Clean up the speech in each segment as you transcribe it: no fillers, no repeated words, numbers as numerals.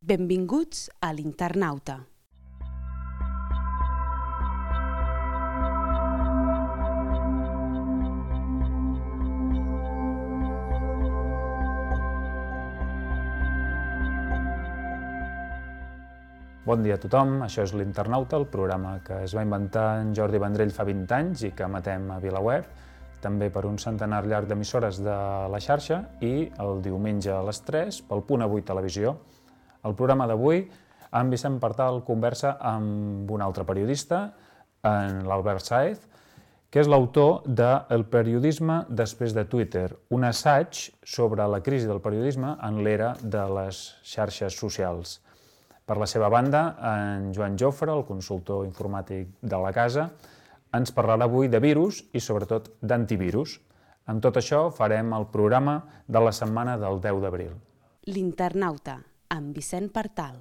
Benvinguts a l'Internauta. Bon dia a tothom, això és l'Internauta, el programa que es va inventar en Jordi Vendrell fa 20 anys i que emetem a VilaWeb, també per un centenar llarg d'emissores de la xarxa i el diumenge a les 3 pel Punt Avui Televisió. El programa d'avui, en Vicent Partal conversa amb un altre periodista, en l'Albert Sáez, que és l'autor de El periodisme després de Twitter, un assaig sobre la crisi del periodisme en l'era de les xarxes socials. Per la seva banda, en Joan Jofre, el consultor informàtic de la casa, ens parlarà avui de virus i sobretot d'antivirus. Amb tot això farem el programa de la setmana del 10 d'abril. L'Internauta, amb Vicent Partal.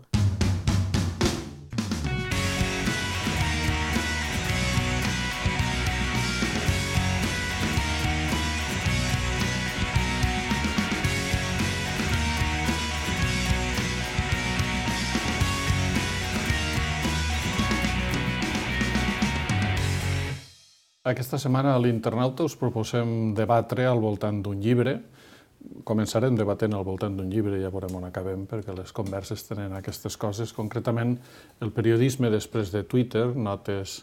Aquesta setmana a l'Internauta us proposem debatre al voltant d'un llibre. Començarem debatent al voltant d'un llibre i ja veurem on acabem, perquè les converses tenen aquestes coses. Concretament, el periodisme després de Twitter, notes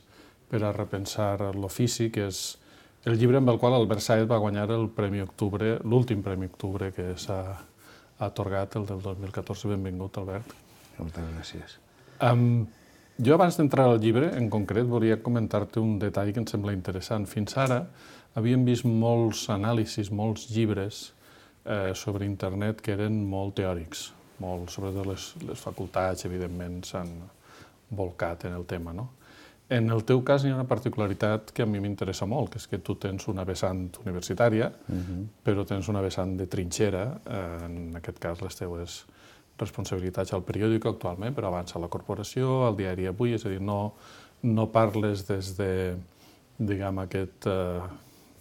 per a repensar l'ofici, que és el llibre amb el qual Albert Sáez va guanyar el Premi Octubre, l'últim Premi Octubre que s'ha atorgat, el del 2014. Benvingut, Albert. Moltes gràcies. Jo, abans d'entrar al llibre, en concret, volia comentar-te un detall que em sembla interessant. Fins ara havíem vist molts anàlisis, molts llibres sobre internet que eren molt teòrics. Sobretot les facultats, evidentment, s'han bolcat en el tema, no? En el teu cas hi ha una particularitat que a mi m'interessa molt, que és que tu tens una vessant universitària, però tens una vessant de trinxera, en aquest cas les teues responsabilitats al periòdic actualment, però abans a la corporació, al diari Avui, és a dir, no parles des de, diguem, aquest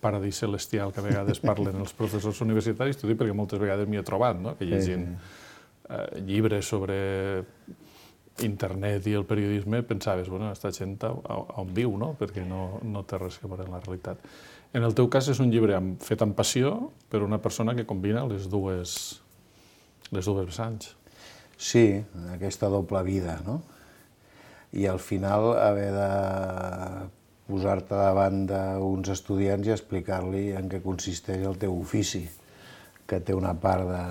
paradís celestial que a vegades parlen els professors universitaris, t'ho dic perquè moltes vegades m'hi he trobat, no? Que llegint llibres sobre internet i el periodisme pensaves, bueno, aquesta gent on viu, no? Perquè no té res a veure amb la realitat. En el teu cas és un llibre fet amb passió, però una persona que combina les dues vessants. Sí, aquesta doble vida, no? I al final haver de posar-te davant d'uns estudiants i explicar-li en què consisteix el teu ofici, que té una part de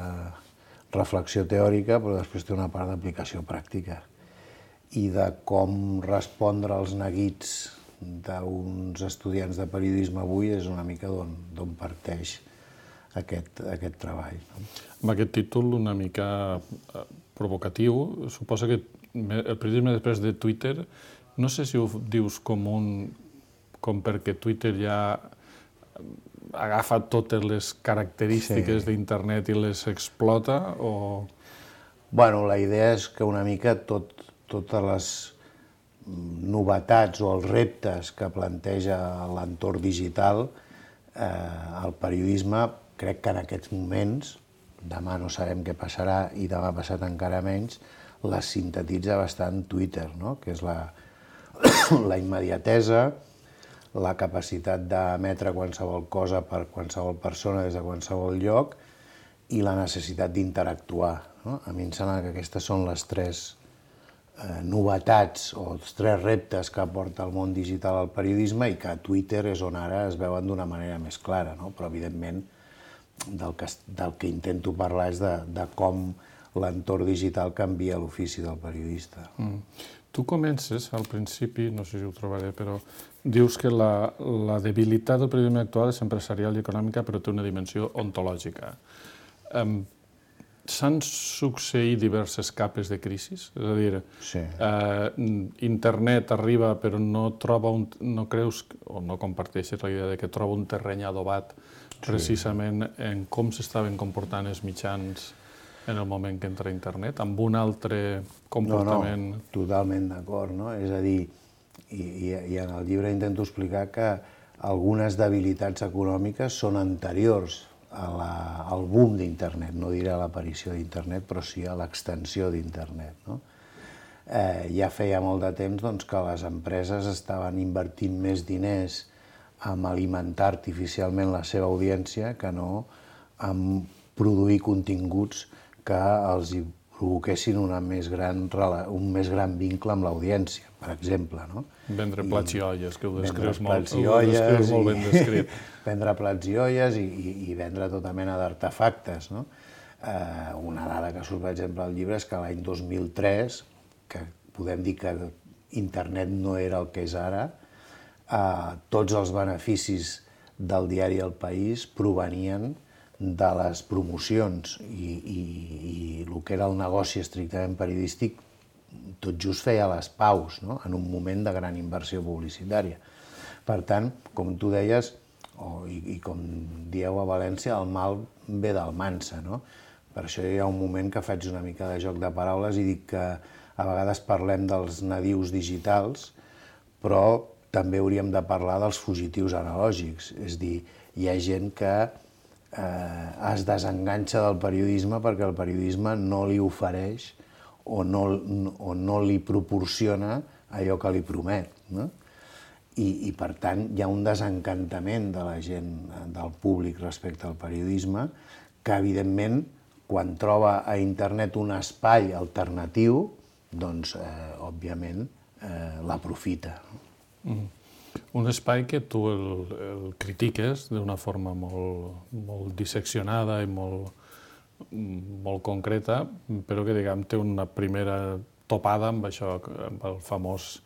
reflexió teòrica, però després té una part d'aplicació pràctica. I de com respondre als neguits d'uns estudiants de periodisme avui és una mica d'on parteix aquest treball. Amb aquest títol una mica provocatiu, suposa que el periodisme després de Twitter, no sé si ho dius com perquè Twitter ja agafa totes les característiques d'internet i les explota, o... Bueno, la idea és que una mica totes les novetats o els reptes que planteja l'entorn digital, el periodisme, crec que en aquests moments, demà no sabem què passarà i demà passat encara menys, les sintetitza bastant Twitter, no? Que és la immediatesa, la capacitat d'emetre qualsevol cosa per qualsevol persona des de qualsevol lloc i la necessitat d'interactuar, no? A mi em sembla que aquestes són les tres novetats o els tres reptes que aporta el món digital al periodisme i que a Twitter és on ara es veuen d'una manera més clara, no? Però evidentment del que intento parlar és de com l'entorn digital canvia l'ofici del periodista. Tu comences, al principi, no sé si ho trobaré, però dius que la debilitat del periodisme actual és empresarial i econòmica, però té una dimensió ontològica. S'han succeït diverses capes de crisi? És a dir, internet arriba però no creus o no comparteixes la idea que troba un terreny adobat precisament en com s'estaven comportant els mitjans en el moment que entra internet, amb un altre comportament... No, totalment d'acord, no? És a dir, i en el llibre intento explicar que algunes debilitats econòmiques són anteriors al boom d'internet, no diré a l'aparició d'internet, però sí a l'extensió d'internet, no? Ja feia molt de temps doncs, que les empreses estaven invertint més diners en alimentar artificialment la seva audiència que no en produir continguts que els provoquessin un més gran vincle amb l'audiència, per exemple. No? Vendre plats i olles, que ho descrius molt ben descrit. Vendre plats i olles i vendre tota mena d'artefactes. No? Una dada que surt, per exemple, al llibre és que l'any 2003, que podem dir que internet no era el que és ara, tots els beneficis del diari El País provenien de les promocions i el que era el negoci estrictament periodístic tot just feia les paus, no? En un moment de gran inversió publicitària. Per tant, com tu deies, i com dieu a València, el mal ve del mansa, no? Per això hi ha un moment que faig una mica de joc de paraules i dic que a vegades parlem dels nadius digitals, però també hauríem de parlar dels fugitius analògics. És a dir, hi ha gent que es desenganxa del periodisme perquè el periodisme no li ofereix o no li proporciona allò que li promet. No? I per tant hi ha un desencantament de la gent, del públic respecte al periodisme, que evidentment quan troba a internet un espai alternatiu, doncs òbviament l'aprofita. Un espai que tu el critiques d'una forma molt disseccionada i molt concreta, però que, diguem, té una primera topada amb això, amb el famós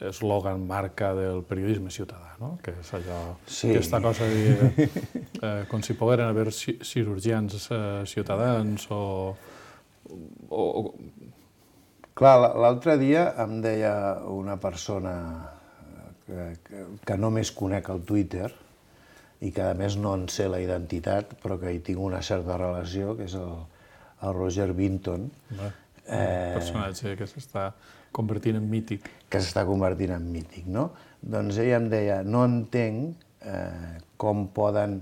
eslògan marca del periodisme ciutadà, no? Que és allò, aquesta cosa de dir, com si pogueren haver cirurgians ciutadans o... Clar, l'altre dia em deia una persona que només conec el Twitter i que a més no en sé la identitat, però que hi tinc una certa relació, que és el Roger Binton. Un personatge que s'està convertint en mític. Que s'està convertint en mític, no? Doncs ella em deia, no entenc com poden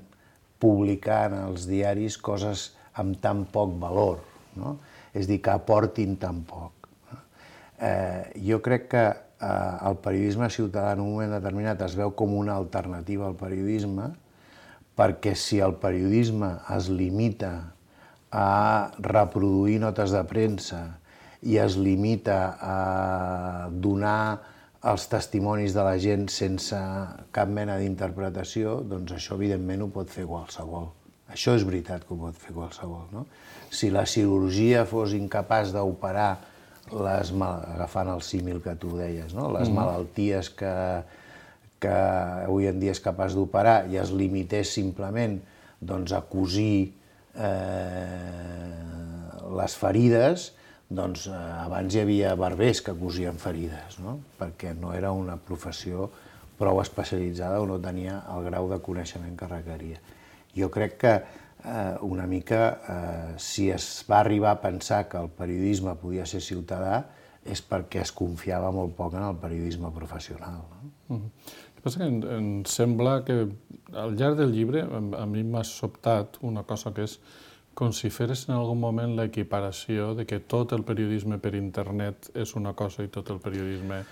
publicar en els diaris coses amb tan poc valor, no? És a dir, que aportin tan poc. Jo crec que el periodisme ciutadà en un moment determinat es veu com una alternativa al periodisme, perquè si el periodisme es limita a reproduir notes de premsa i es limita a donar els testimonis de la gent sense cap mena d'interpretació, doncs això evidentment ho pot fer qualsevol. Això és veritat que ho pot fer qualsevol, no? Si la cirurgia fos incapaç d'operar agafant el símil que tu deies, no? Les malalties que avui en dia és capaç d'operar i es limités simplement a cosir les ferides, doncs abans hi havia barbers que cosien ferides, no? Perquè no era una professió prou especialitzada o no tenia el grau de coneixement que requeria. Jo crec que una mica, si es va arribar a pensar que el periodisme podia ser ciutadà, és perquè es confiava molt poc en el periodisme professional. El que passa que em sembla que al llarg del llibre a mi m'ha sobtat una cosa que és com si feres en algun moment l'equiparació de que tot el periodisme per internet és una cosa i tot el periodisme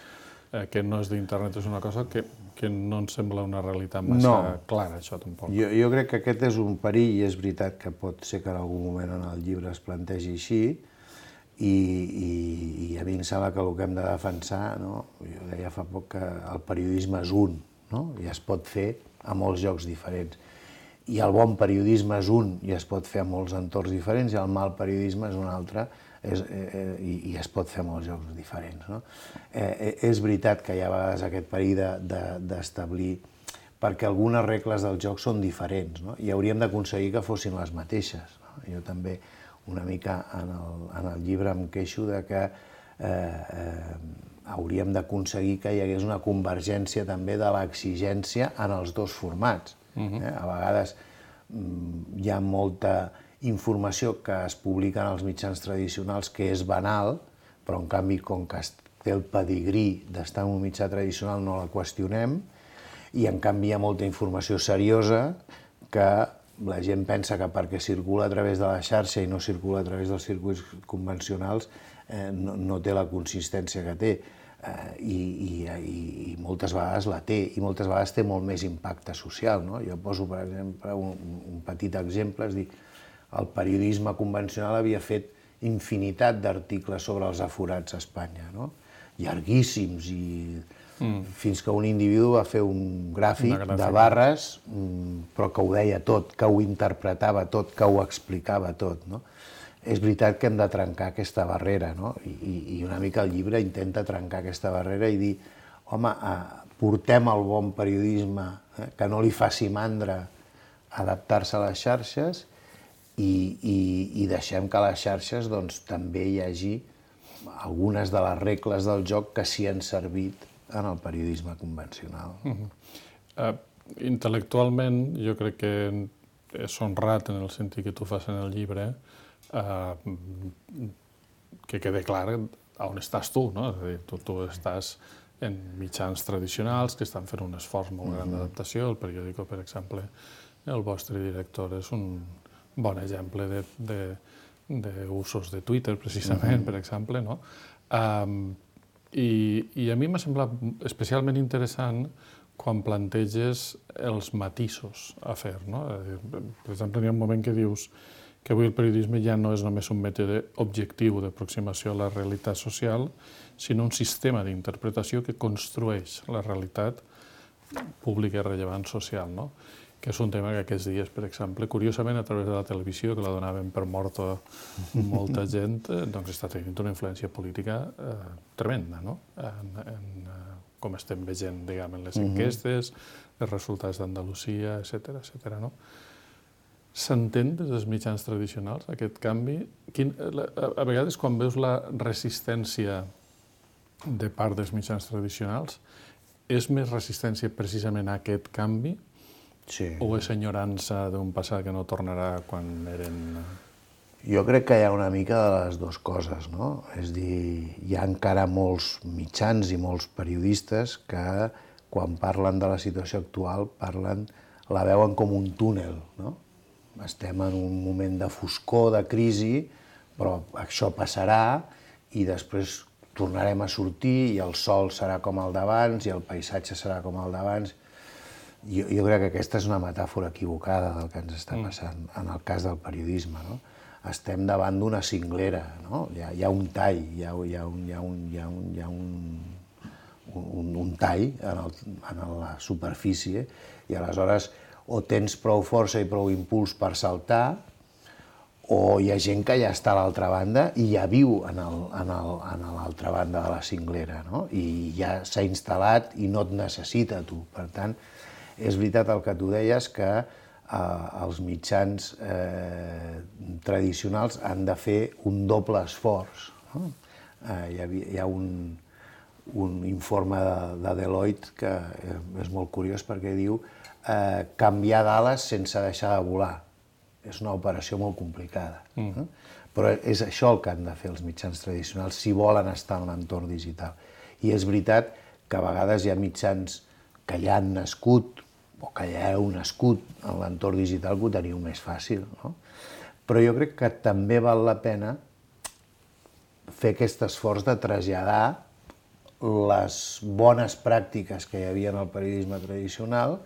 que no és d'internet és una cosa que no em sembla una realitat massa clara, això tampoc. Jo crec que aquest és un perill i és veritat que pot ser que en algun moment en el llibre es plantegi així i a mi em sembla que el que hem de defensar, jo deia fa poc que el periodisme és un, i es pot fer a molts llocs diferents. I el bon periodisme és un i es pot fer a molts entorns diferents i el mal periodisme és un altre i es pot fer a molts llocs diferents. És veritat que hi ha a vegades aquest perill d'establir, perquè algunes regles del joc són diferents i hauríem d'aconseguir que fossin les mateixes. Jo també una mica en el llibre em queixo de que hauríem d'aconseguir que hi hagués una convergència també de l'exigència en els dos formats. A vegades hi ha molta informació que es publica en els mitjans tradicionals que és banal, però en canvi com que té el pedigrí d'estar en un mitjà tradicional no la qüestionem, i en canvi hi ha molta informació seriosa que la gent pensa que perquè circula a través de la xarxa i no circula a través dels circuits convencionals no té la consistència que té. I moltes vegades la té, i moltes vegades té molt més impacte social. Jo poso, per exemple, un petit exemple, és dir, el periodisme convencional havia fet infinitat d'articles sobre els aforats a Espanya, llarguíssims, fins que un individu va fer un gràfic de barres, però que ho deia tot, que ho interpretava tot, que ho explicava tot. És veritat que hem de trencar aquesta barrera, i una mica el llibre intenta trencar aquesta barrera i dir, home, portem el bon periodisme, que no li faci mandra adaptar-se a les xarxes i deixem que a les xarxes també hi hagi algunes de les regles del joc que s'hi han servit en el periodisme convencional. Intel·lectualment, jo crec que és honrat en el sentit que tu fas en el llibre, que quede clar on estàs tu, no? És a dir, tu estàs en mitjans tradicionals que estan fent un esforç molt gran d'adaptació. El periòdico, per exemple, el vostre director és un bon exemple d'usos de Twitter, precisament, per exemple, no? I a mi m'ha semblat especialment interessant quan planteges els matisos a fer, no? Per exemple, hi ha un moment que dius que avui el periodisme ja no és només un mètode objectiu d'aproximació a la realitat social, sinó un sistema d'interpretació que construeix la realitat pública i rellevant social, no? Que és un tema que aquests dies, per exemple, curiosament, a través de la televisió, que la donaven per morta molta gent, doncs està tenint una influència política tremenda, no? Com estem veient, diguem, en les enquestes, els resultats d'Andalusia, etcètera, no? S'entén des dels mitjans tradicionals aquest canvi? A vegades, quan veus la resistència de part dels mitjans tradicionals, és més resistència precisament a aquest canvi? Sí. O és enyorança d'un passat que no tornarà quan eren... Jo crec que hi ha una mica de les dues coses, no? És a dir, hi ha encara molts mitjans i molts periodistes que, quan parlen de la situació actual, la veuen com un túnel, no? Estem en un moment de foscor, de crisi, però això passarà i després tornarem a sortir i el sol serà com el d'abans i el paisatge serà com el d'abans. Jo crec que aquesta és una metàfora equivocada del que ens està passant en el cas del periodisme, no? Estem davant d'una cinglera, no? Hi ha un tall, hi ha un tall en la superfície i aleshores o tens prou força i prou impuls per saltar, o hi ha gent que ja està a l'altra banda i ja viu a l'altra banda de la cinglera, no? I ja s'ha instal·lat i no et necessita tu. Per tant, és veritat el que tu deies, que els mitjans tradicionals han de fer un doble esforç. Hi ha un informe de Deloitte que és molt curiós perquè diu canviar d'ales sense deixar de volar. És una operació molt complicada. Però és això el que han de fer els mitjans tradicionals si volen estar en l'entorn digital. I és veritat que a vegades hi ha mitjans que ja han nascut o que ja heu nascut en l'entorn digital que ho teniu més fàcil, no? Però jo crec que també val la pena fer aquest esforç de traslladar les bones pràctiques que hi havia en el periodisme tradicional,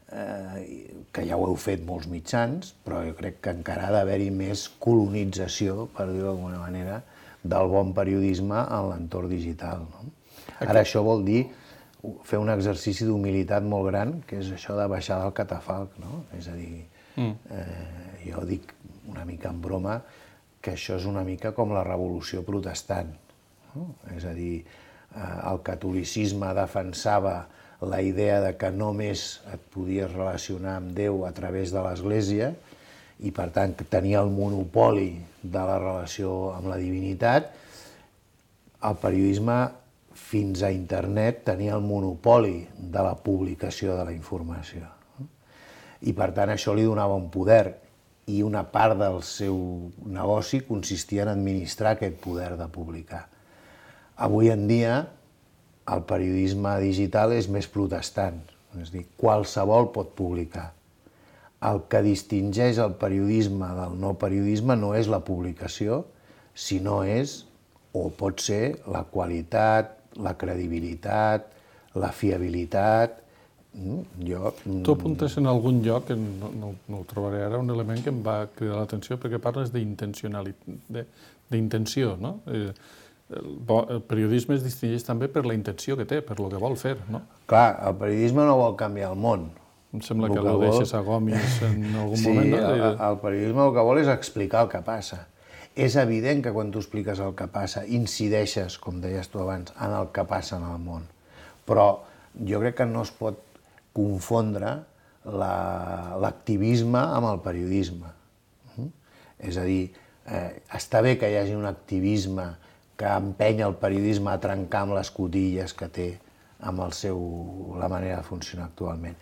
que ja ho heu fet molts mitjans, però jo crec que encara ha d'haver-hi més colonització, per dir-ho d'alguna manera, del bon periodisme en l'entorn digital, no? Ara això vol dir fer un exercici d'humilitat molt gran, que és això de baixar del catafalc, no? És a dir, jo dic una mica en broma que això és una mica com la revolució protestant, no? És a dir, el catolicisme defensava la idea de que només et podies relacionar amb Déu a través de l'Església i, per tant, tenia el monopoli de la relació amb la divinitat. El periodisme, fins a internet, tenia el monopoli de la publicació de la informació. I, per tant, això li donava un poder i una part del seu negoci consistia en administrar aquest poder de publicar. Avui en dia, el periodisme digital és més protestant, és a dir, qualsevol pot publicar. el que distingeix el periodisme del no periodisme no és la publicació, sinó és, o pot ser, la qualitat, la credibilitat, la fiabilitat. Tu apuntes en algun lloc, no ho trobaré ara, un element que em va cridar l'atenció perquè parles d'intenció, no? El periodisme es distingeix també per la intenció que té, per el que vol fer, no? Clar, el periodisme no vol canviar el món. Em sembla que ho deixes a Gomis en algun moment. Sí, el periodisme el que vol és explicar el que passa. És evident que quan tu expliques el que passa, incideixes, com deies tu abans, en el que passa en el món. Però jo crec que no es pot confondre l'activisme amb el periodisme. És a dir, està bé que hi hagi un activisme que empenya el periodisme a trencar amb les cotilles que té amb la manera de funcionar actualment.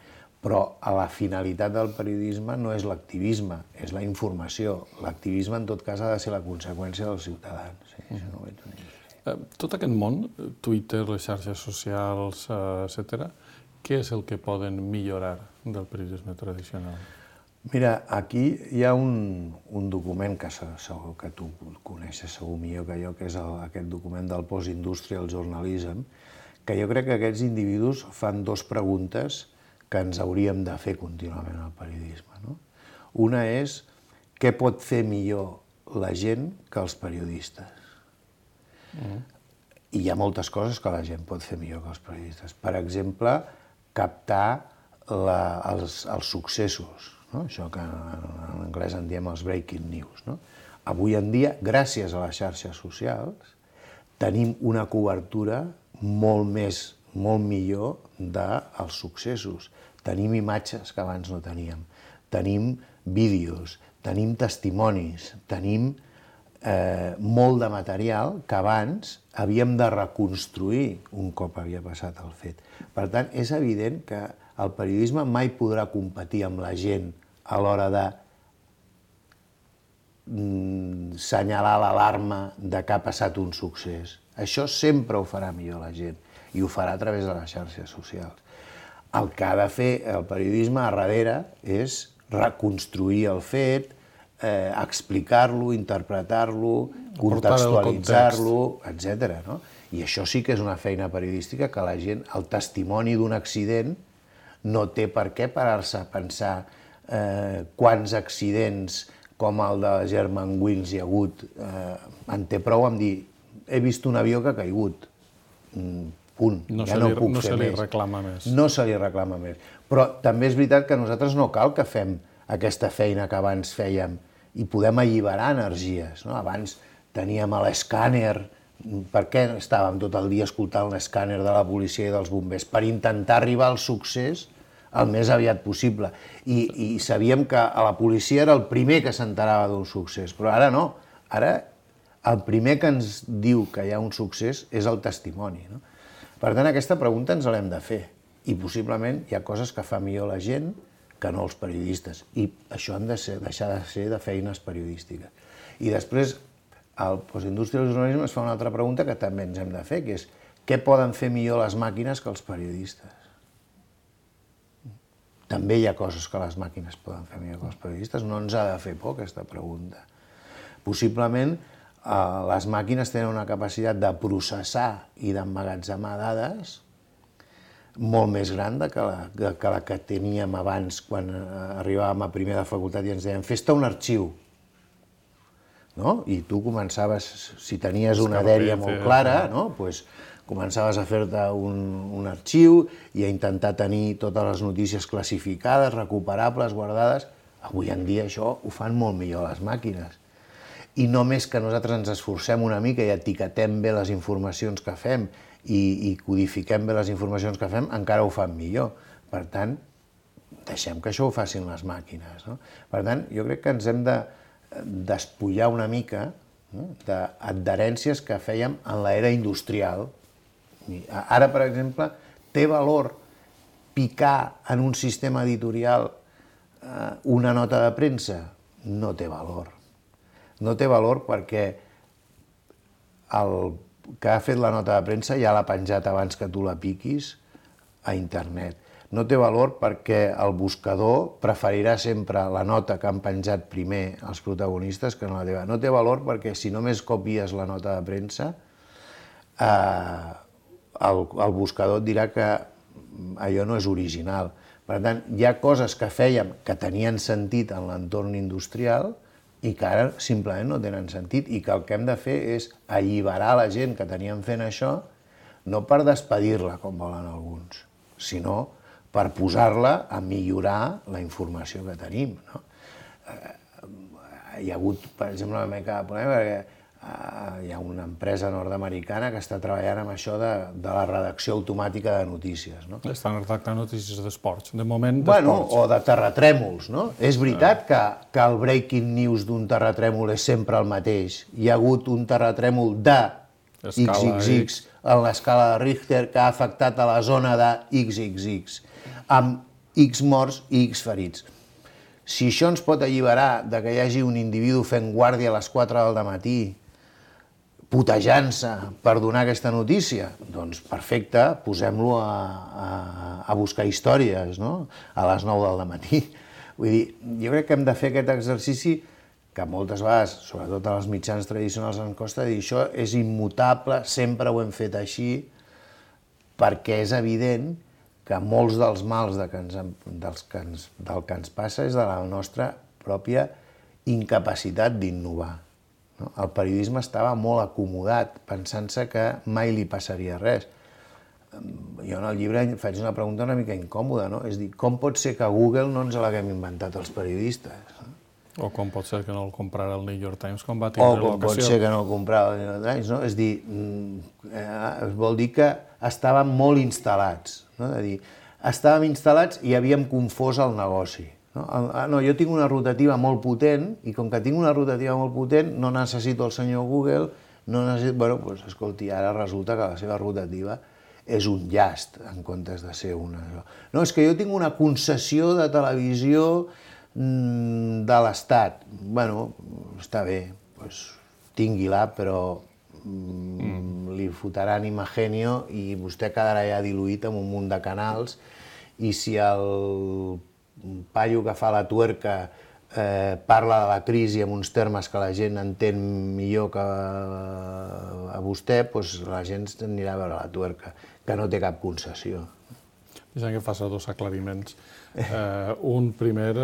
Però la finalitat del periodisme no és l'activisme, és la informació. L'activisme, en tot cas, ha de ser la conseqüència dels ciutadans. Sí, això no ho veig una mica. Tot aquest món, Twitter, les xarxes socials, etc., què és el que poden millorar del periodisme tradicional? Mira, aquí hi ha un document que segur que tu coneixes segur millor que jo, que és aquest document del Post-Industrial Journalism, que jo crec que aquests individus fan dues preguntes que ens hauríem de fer contínuament al periodisme. No? Una és què pot fer millor la gent que els periodistes. I hi ha moltes coses que la gent pot fer millor que els periodistes. Per exemple, captar els successos, no? Això que en anglès en diem els breaking news. No? Avui en dia, gràcies a les xarxes socials, tenim una cobertura molt millor dels successos. Tenim imatges que abans no teníem, tenim vídeos, tenim testimonis, tenim molt de material que abans havíem de reconstruir un cop havia passat el fet. Per tant, és evident que el periodisme mai podrà competir amb la gent a l'hora de senyalar l'alarma de que ha passat un succés. Això sempre ho farà millor la gent i ho farà a través de les xarxes socials. El que ha de fer el periodisme a darrere és reconstruir el fet, explicar-lo, interpretar-lo, contextualitzar-lo, etc. No? I això sí que és una feina periodística que la gent, el testimoni d'un accident, no té per què parar-se a pensar quants accidents com el de Germanwings hi ha hagut. En té prou amb dir, he vist un avió que ha caigut. Punt. No se li reclama més. No se li reclama més. Però també és veritat que nosaltres no cal que fem aquesta feina que abans fèiem i podem alliberar energies. Abans teníem l'escàner. Per què estàvem tot el dia escoltant l'escàner de la policia i dels bombers? Per intentar arribar al succés el més aviat possible. I sabíem que a la policia era el primer que s'enterava d'un succés, però ara no. Ara el primer que ens diu que hi ha un succés és el testimoni. Per tant, aquesta pregunta ens l'hem de fer. I possiblement hi ha coses que fa millor la gent que no els periodistes. I això han de deixar de ser de feines periodístiques. I després, al Post-Industrial Journalism es fa una altra pregunta que també ens hem de fer, que és què poden fer millor les màquines que els periodistes? També hi ha coses que les màquines poden fer millor que els periodistes. No ens ha de fer por aquesta pregunta. Possiblement, les màquines tenen una capacitat de processar i d'emmagatzemar dades molt més gran que la que teníem abans quan arribàvem a primer de facultat i ens deien fes-te un arxiu. I tu començaves, si tenies una dèria molt clara, començaves a fer-te un arxiu i a intentar tenir totes les notícies classificades, recuperables, guardades. Avui en dia això ho fan molt millor les màquines. I només que nosaltres ens esforcem una mica i etiquetem bé les informacions que fem i codifiquem bé les informacions que fem, encara ho fan millor. Per tant, deixem que això ho facin les màquines. Per tant, jo crec que ens hem de despullar una mica d'adherències que fèiem en l'era industrial. Ara, per exemple, té valor picar en un sistema editorial una nota de premsa? No té valor. No té valor perquè el que ha fet la nota de premsa ja l'ha penjat abans que tu la piquis a internet. no té valor perquè el buscador preferirà sempre la nota que han penjat primer els protagonistes que no la teva. No té valor perquè si només copies la nota de premsa, el buscador et dirà que allò no és original. Per tant, hi ha coses que fèiem que tenien sentit en l'entorn industrial i que ara simplement no tenen sentit i que el que hem de fer és alliberar la gent que teníem fent això, no per despedir-la, com volen alguns, sinó per posar-la a millorar la informació que tenim. Hi ha hagut, per exemple, una mica de problema perquè hi ha una empresa nord-americana que està treballant amb això de la redacció automàtica de notícies. Estan redactant notícies d'esports, de moment d'esports. O de terratrèmols. És veritat que el breaking news d'un terratrèmol és sempre el mateix. Hi ha hagut un terratrèmol de XXX en l'escala de Richter que ha afectat a la zona de XXX, amb X morts i X ferits. Si això ens pot alliberar de que hi hagi un individu fent guàrdia a les 4 del matí, putejant-se per donar aquesta notícia, doncs perfecte, posem-lo a buscar històries, a les 9 del matí. Vull dir, jo crec que hem de fer aquest exercici que moltes vegades, sobretot als mitjans tradicionals, ens costa dir això és immutable, sempre ho hem fet així, perquè és evident que molts dels mals del que ens passa és de la nostra pròpia incapacitat d'innovar. El periodisme estava molt acomodat, pensant-se que mai li passaria res. Jo en el llibre faig una pregunta una mica incòmoda, és dir, com pot ser que Google no ens l'haguem inventat els periodistes? O com pot ser que no el comprara el New York Times quan va tindre l'ocasió. O com pot ser que no el comprara el New York Times, És dir, vol dir que estàvem molt instal·lats, És a dir, estàvem instal·lats i havíem confós el negoci. No, jo tinc una rotativa molt potent i com que tinc una rotativa molt potent no necessito el senyor Google, no necessito... Bueno, doncs, escolti, ara resulta que la seva rotativa és un llast en comptes de ser una... No, és que jo tinc una concessió de televisió de l'Estat. Bueno, està bé, doncs tingui-la, però li fotran Imagenio i vostè quedarà ja diluït en un munt de canals i si el paio que fa la tuerca parla de la crisi en uns termes que la gent entén millor que a vostè, doncs la gent anirà a veure la tuerca, que no té cap concessió. Deixa'm que faci dos aclariments. Un primer,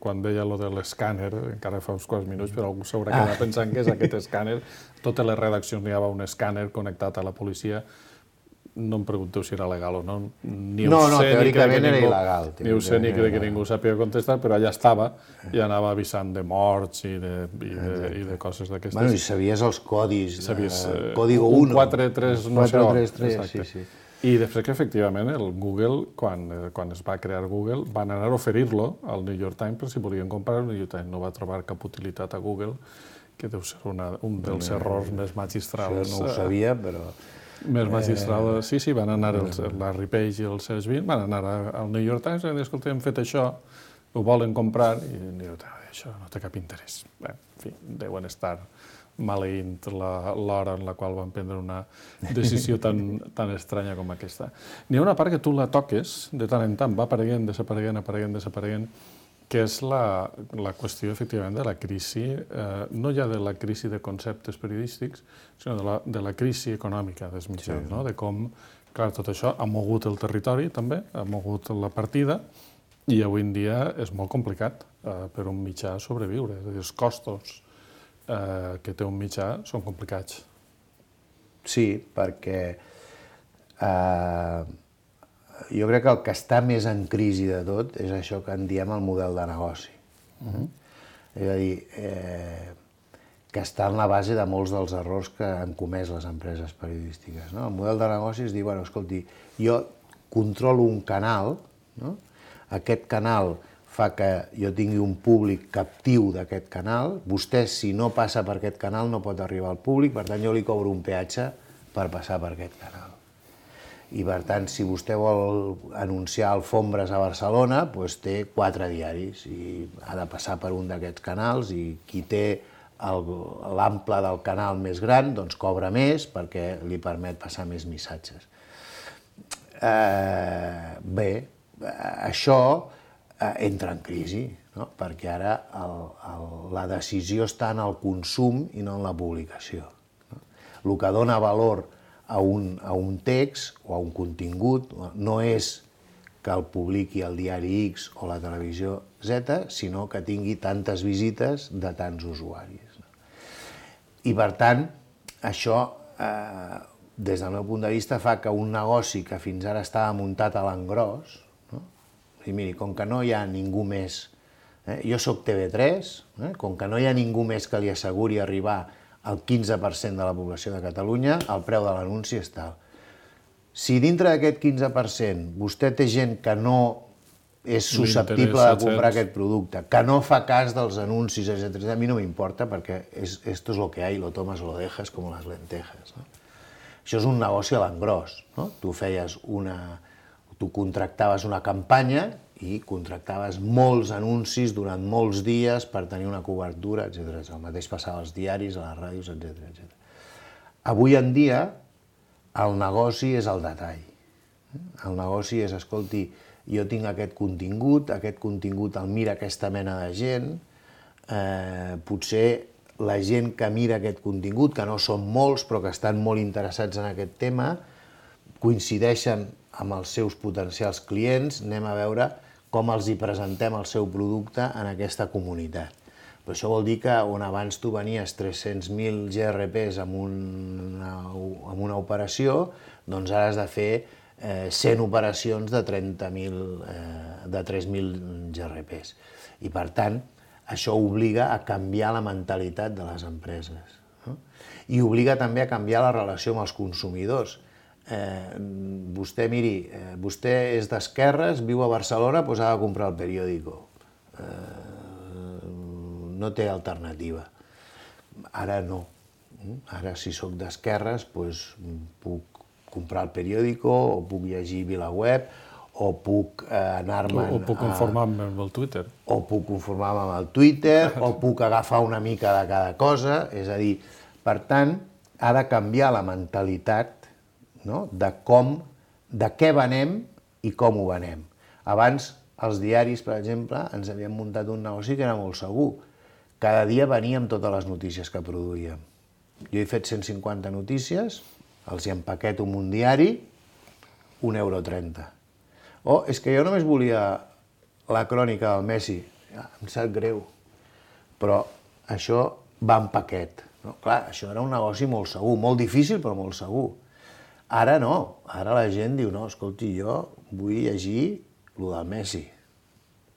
quan deia allò de l'escàner, encara fa uns quants minuts, però algú s'haurà quedat pensant que és aquest escàner. Totes les redaccions n'hi havia un escàner connectat a la policia. No em pregunteu si era legal o no. No, teòricament era il·legal. Ni ho sé ni crec que ningú sàpiga contestar, però allà estava i anava avisant de morts i de coses d'aquestes. Bueno, i sabies els codis, código 1. 433, no sé on. 433, sí. I després que, efectivament, el Google, quan es va crear Google, van anar a oferir-lo al New York Times per si volien comprar. El New York Times no va trobar cap utilitat a Google, que deu ser un dels errors més magistrals. No ho sabia, però... Més magistral. Sí, van anar el Larry Page i els seus 20, van anar al New York Times i van dir, escolta, hem fet això, ho volen comprar, i el New York Times, això no té cap interès. Bé, en fi, deuen estar maleint l'hora en la qual van prendre una decisió tan estranya com aquesta. N'hi ha una part que tu la toques, de tant en tant, va apareguent, desapareguent, que és la qüestió, efectivament, de la crisi, no ja de la crisi de conceptes periodístics, sinó de la crisi econòmica dels mitjans, de com, clar, tot això ha mogut el territori, també, ha mogut la partida, i avui en dia és molt complicat per un mitjà sobreviure. És a dir, els costos que té un mitjà són complicats. Sí, perquè jo crec que el que està més en crisi de tot és això que en diem el model de negoci. És a dir, que està en la base de molts dels errors que han comès les empreses periodístiques. El model de negoci és dir, bueno, escolti, jo controlo un canal, aquest canal fa que jo tingui un públic captiu d'aquest canal, vostè, si no passa per aquest canal, no pot arribar al públic, per tant, jo li cobro un peatge per passar per aquest canal. I, per tant, si vostè vol anunciar alfombres a Barcelona, doncs té 4 diaris i ha de passar per un d'aquests canals i qui té l'ample del canal més gran, doncs cobra més perquè li permet passar més missatges. Bé, això entra en crisi, no? Perquè ara la decisió està en el consum i no en la publicació. No? El que dona valor a un text o a un contingut no és que el publiqui el diari X o la televisió Z, sinó que tingui tantes visites de tants usuaris. No? I per tant, això, des del meu punt de vista, fa que un negoci que fins ara estava muntat a l'engròs, no? I miri, com que no hi ha ningú més, jo soc TV3, com que no hi ha ningú més que li asseguri arribar al 15% de la població de Catalunya, el preu de l'anunci és tal. Si dintre d'aquest 15% vostè té gent que no és susceptible de comprar aquest producte, que no fa cas dels anuncis, etc., a mi no m'importa perquè esto es lo que hay, lo tomas o lo dejas como las lentejas. No? Això és un negoci a l'engròs. No? Tu contractaves una campanya i contractaves molts anuncis durant molts dies per tenir una cobertura, etc. El mateix passava als diaris, a les ràdios, etc. Avui en dia, el negoci és el detall. El negoci és, escolti, jo tinc aquest contingut el mira aquesta mena de gent, potser la gent que mira aquest contingut, que no són molts, però que estan molt interessats en aquest tema, coincideixen amb els seus potencials clients, anem a veure com els hi presentem el seu producte en aquesta comunitat. Però això vol dir que on abans tu venies 300.000 GRPs amb una operació, doncs ara has de fer 100 operacions de 3.000 GRPs. I per tant, això obliga a canviar la mentalitat de les empreses. No? I obliga també a canviar la relació amb els consumidors. Vostè, miri, vostè és d'esquerres, viu a Barcelona, doncs ha de comprar el periòdico. No té alternativa. Ara no. Ara, si sóc d'esquerres, doncs puc comprar el periòdico, o puc llegir VilaWeb, o puc anar-me'n... O puc conformar-me amb el Twitter. O puc conformar-me amb el Twitter, o puc agafar una mica de cada cosa. És a dir, per tant, ha de canviar la mentalitat de què venem i com ho venem. Abans, els diaris, per exemple, ens havien muntat un negoci que era molt segur. Cada dia veníem totes les notícies que produïem. Jo he fet 150 notícies, els hi empaqueto en un diari, €1,30. O és que jo només volia la crònica del Messi. Em sap greu, però això va en paquet. Clar, això era un negoci molt segur, molt difícil, però molt segur. Ara no, ara la gent diu, no, escolti, jo vull llegir el del Messi.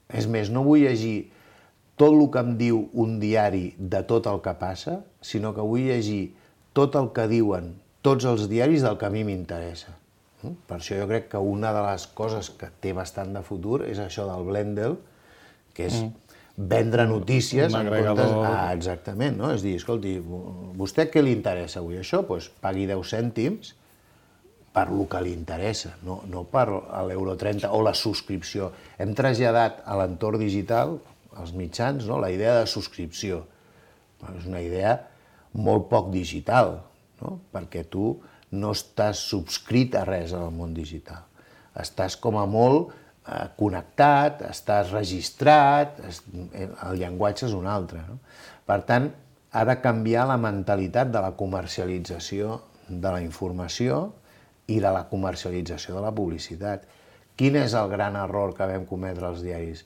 És més, no vull llegir tot el que em diu un diari de tot el que passa, sinó que vull llegir tot el que diuen tots els diaris del que a mi m'interessa. Per això jo crec que una de les coses que té bastant de futur és això del Blendel, que és vendre notícies en comptes... Exactament, no? És dir, escolti, vostè què li interessa avui? Això? Doncs pagui 10 cèntims per lo que li interessa, no per l'1,30 € o la subscripció. Hem traslladat a l'entorn digital, als mitjans, la idea de subscripció. És una idea molt poc digital, perquè tu no estàs subscrit a res en el món digital. Estàs com a molt connectat, estàs registrat, el llenguatge és un altre. Per tant, ha de canviar la mentalitat de la comercialització de la informació i de la comercialització de la publicitat. Quin és el gran error que vam cometre els diaris?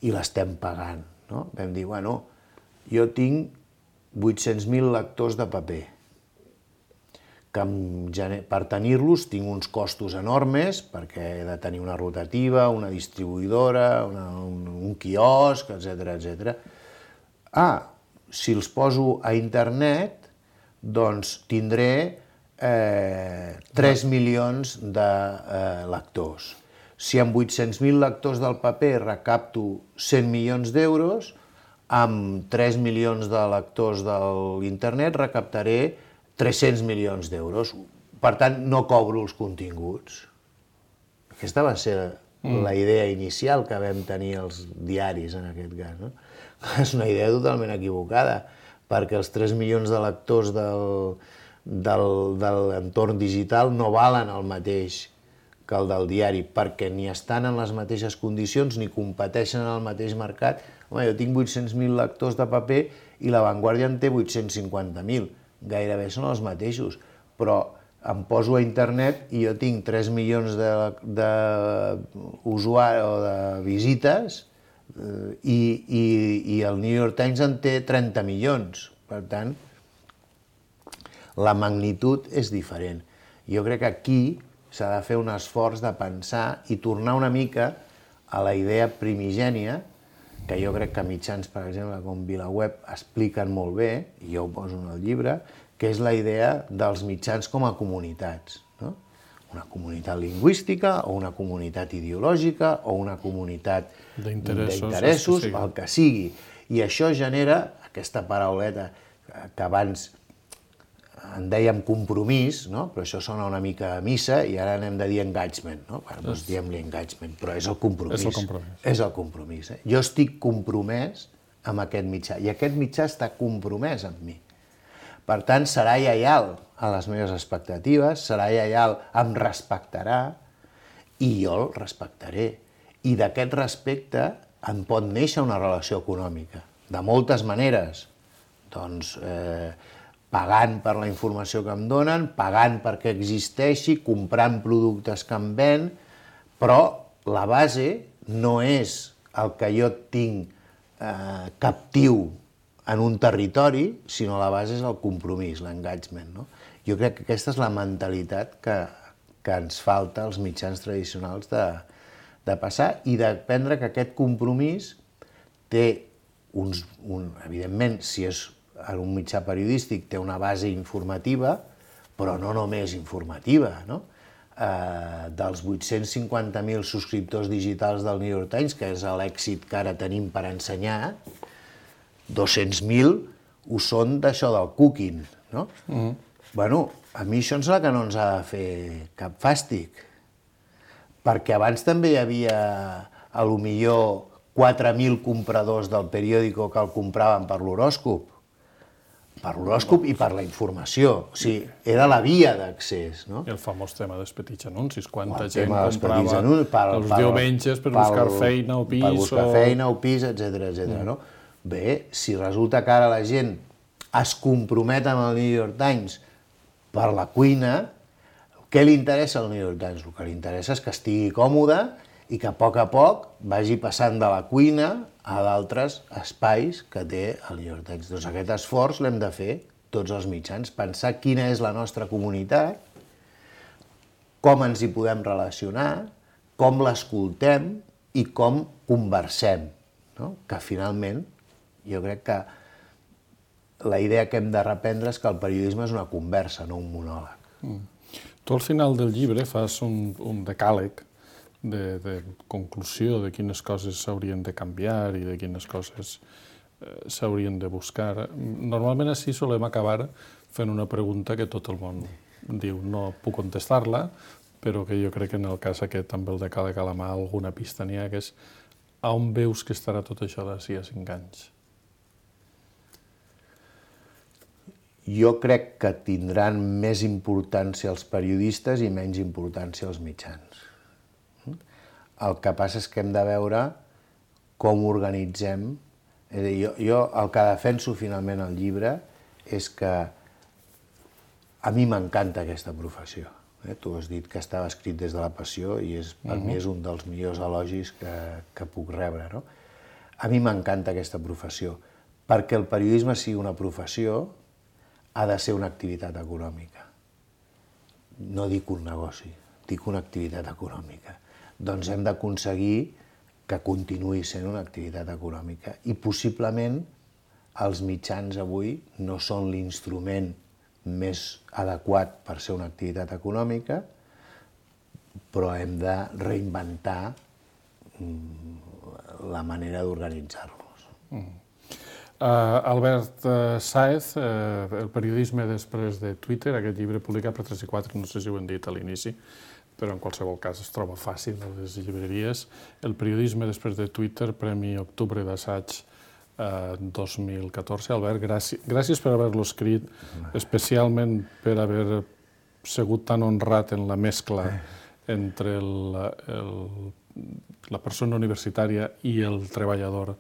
I l'estem pagant. Vam dir, bueno, jo tinc 800.000 lectors de paper, que per tenir-los tinc uns costos enormes, perquè he de tenir una rotativa, una distribuïdora, un quiosc, etc. Si els poso a internet, doncs tindré 3 milions de lectors. Si amb 800.000 lectors del paper recapto 100 milions d'euros, amb 3 milions de lectors de l'internet recaptaré 300 milions d'euros. Per tant, no cobro els continguts. Aquesta va ser la idea inicial que vam tenir els diaris, en aquest cas. És una idea totalment equivocada, perquè els 3 milions de lectors de l'entorn digital no valen el mateix que el del diari, perquè ni estan en les mateixes condicions ni competeixen en el mateix mercat. Home, jo tinc 800.000 lectors de paper i La Vanguardia en té 850.000. Gairebé són els mateixos, però em poso a internet i jo tinc 3 milions d'usuaris o de visites i el New York Times en té 30 milions. Per tant, la magnitud és diferent. Jo crec que aquí s'ha de fer un esforç de pensar i tornar una mica a la idea primigènia, que jo crec que mitjans, per exemple, com VilaWeb, expliquen molt bé, i jo ho poso en el llibre, que és la idea dels mitjans com a comunitats. No? Una comunitat lingüística, o una comunitat ideològica, o una comunitat d'interessos, el que sigui. I això genera aquesta parauleta que abans en dèiem compromís, no? Però això sona una mica a missa i ara n'hem de dir engagement, no? Doncs diem-li engagement, però és el compromís. És el compromís. És el compromís. Jo estic compromès amb aquest mitjà i aquest mitjà està compromès amb mi. Per tant, serà lleial a les meves expectatives, serà lleial, em respectarà i jo el respectaré. I d'aquest respecte en pot néixer una relació econòmica, de moltes maneres. Doncs pagant per la informació que em donen, pagant perquè existeixi, comprant productes que em ven, però la base no és el que jo tinc captiu en un territori, sinó la base és el compromís, l'engagement. No? Jo crec que aquesta és la mentalitat que ens falta als mitjans tradicionals de passar i d'aprendre que aquest compromís té evidentment, si és en un mitjà periodístic, té una base informativa, però no només informativa, no? Dels 850.000 subscriptors digitals del New York Times, que és l'èxit que ara tenim per ensenyar, 200.000 ho són d'això del cooking, no? Bueno, a mi això em sembla que no ens ha de fer cap fàstic, perquè abans també hi havia, potser, 4.000 compradors del periòdico que el compraven per l'horòscop i per la informació. O sigui, era la via d'accés, no? I el famós tema dels petits anuncis, quanta gent comprava els diumenges per buscar feina o pis. Per buscar feina o pis, etc. Bé, si resulta que ara la gent es compromet amb el New York Times per la cuina, què li interessa al New York Times? El que li interessa és que estigui còmode i que a poc vagi passant de la cuina a d'altres espais que té el New York Times. Doncs aquest esforç l'hem de fer tots els mitjans, pensar quina és la nostra comunitat, com ens hi podem relacionar, com l'escoltem i com conversem. No? Que finalment, jo crec que la idea que hem de reprendre és que el periodisme és una conversa, no un monòleg. Tu al final del llibre fas un decàleg de conclusió de quines coses s'haurien de canviar i de quines coses s'haurien de buscar. Normalment així solem acabar fent una pregunta que tot el món diu no puc contestar-la, però que jo crec que en el cas aquest, amb el decàleg a la mà, alguna pista n'hi ha, que és on veus que estarà tot això d'ací a 5 anys? Jo crec que tindran més importància els periodistes i menys importància els mitjans. El que passa és que hem de veure com organitzem. És a dir, jo el que defenso finalment al llibre és que a mi m'encanta aquesta professió. Tu has dit que estava escrit des de la passió i per mi és un dels millors elogis que puc rebre. No? A mi m'encanta aquesta professió. Perquè el periodisme sigui una professió ha de ser una activitat econòmica. No dic un negoci, dic una activitat econòmica. Doncs hem d'aconseguir que continuï sent una activitat econòmica. I possiblement els mitjans avui no són l'instrument més adequat per ser una activitat econòmica, però hem de reinventar la manera d'organitzar-los. Albert Sáez, El periodisme després de Twitter, aquest llibre publicat per 3 i 4, no sé si ho hem dit a l'inici, però en qualsevol cas es troba fàcil a les llibreries. El periodisme després de Twitter, Premi Octubre d'Assaig 2014. Albert, gràcies per haver-lo escrit, especialment per haver sigut tan honrat en la mescla entre la persona universitària i el treballador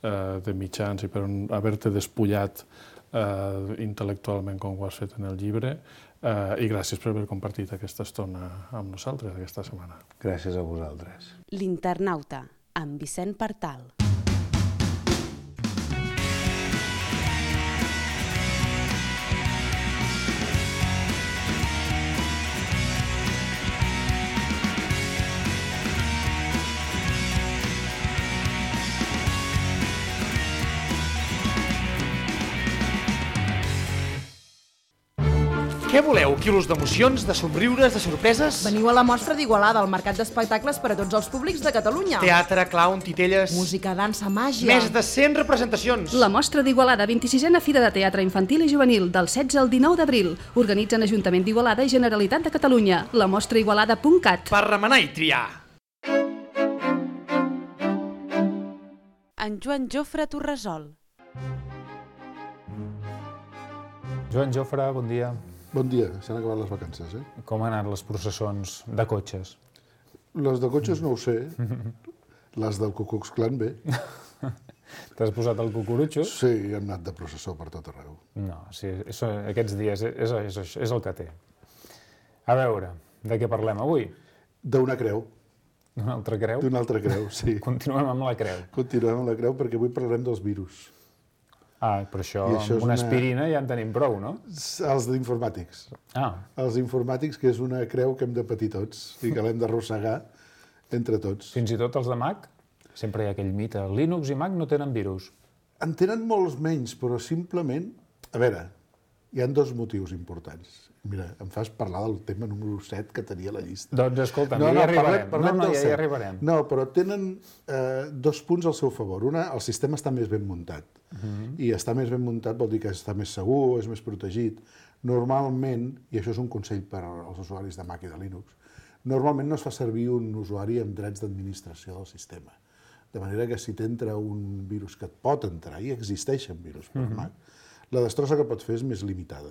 de mitjans i per haver-te despullat intel·lectualment com ho has fet en el llibre, i gràcies per haver compartit aquesta estona amb nosaltres aquesta setmana. Gràcies a vosaltres. L'Internauta, amb Vicent Partal. Què voleu? Quilos d'emocions, de somriures, de sorpreses? Veniu a la mostra d'Igualada, el mercat d'espectacles per a tots els públics de Catalunya. Teatre, clown, titelles... Música, dansa, màgia... Més de 100 representacions. La mostra d'Igualada, 26a Fira de Teatre Infantil i Juvenil, del 16 al 19 d'abril. Organitzen Ajuntament d'Igualada i Generalitat de Catalunya. La mostra igualada.cat. Per remenar i triar. En Joan Jofre Torresol. Joan Jofre, bon dia. Bon dia, s'han acabat les vacances, eh? Com han anat les processons de cotxes? Les de cotxes no ho sé, les del Ku Klux Klan bé. T'has posat el cucurutxo? Sí, hem anat de processó per tot arreu. No, sí, aquests dies és el que té. A veure, de què parlem avui? D'una creu. D'una altra creu? D'una altra creu, sí. Continuem amb la creu. Continuem amb la creu perquè avui parlarem dels virus. Ah, però això això amb una aspirina ja en tenim prou, no? Els d'informàtics. Ah. Els informàtics, que és una creu que hem de patir tots i que l'hem d'arrossegar entre tots. Fins i tot els de Mac? Sempre hi ha aquell mite. Linux i Mac no tenen virus. En tenen molts menys, però simplement... A veure, hi ha dos motius importants. Mira, em fas parlar del tema número 7 que tenia a la llista. Doncs escolta, ja hi arribarem. Ja hi arribarem. No, però tenen dos punts al seu favor. Una, el sistema està més ben muntat. I estar més ben muntat vol dir que està més segur, és més protegit. Normalment, i això és un consell per als usuaris de Mac i de Linux, normalment no es fa servir un usuari amb drets d'administració del sistema. De manera que si t'entra un virus que et pot entrar, i existeixen virus per Mac, la destrossa que pot fer és més limitada.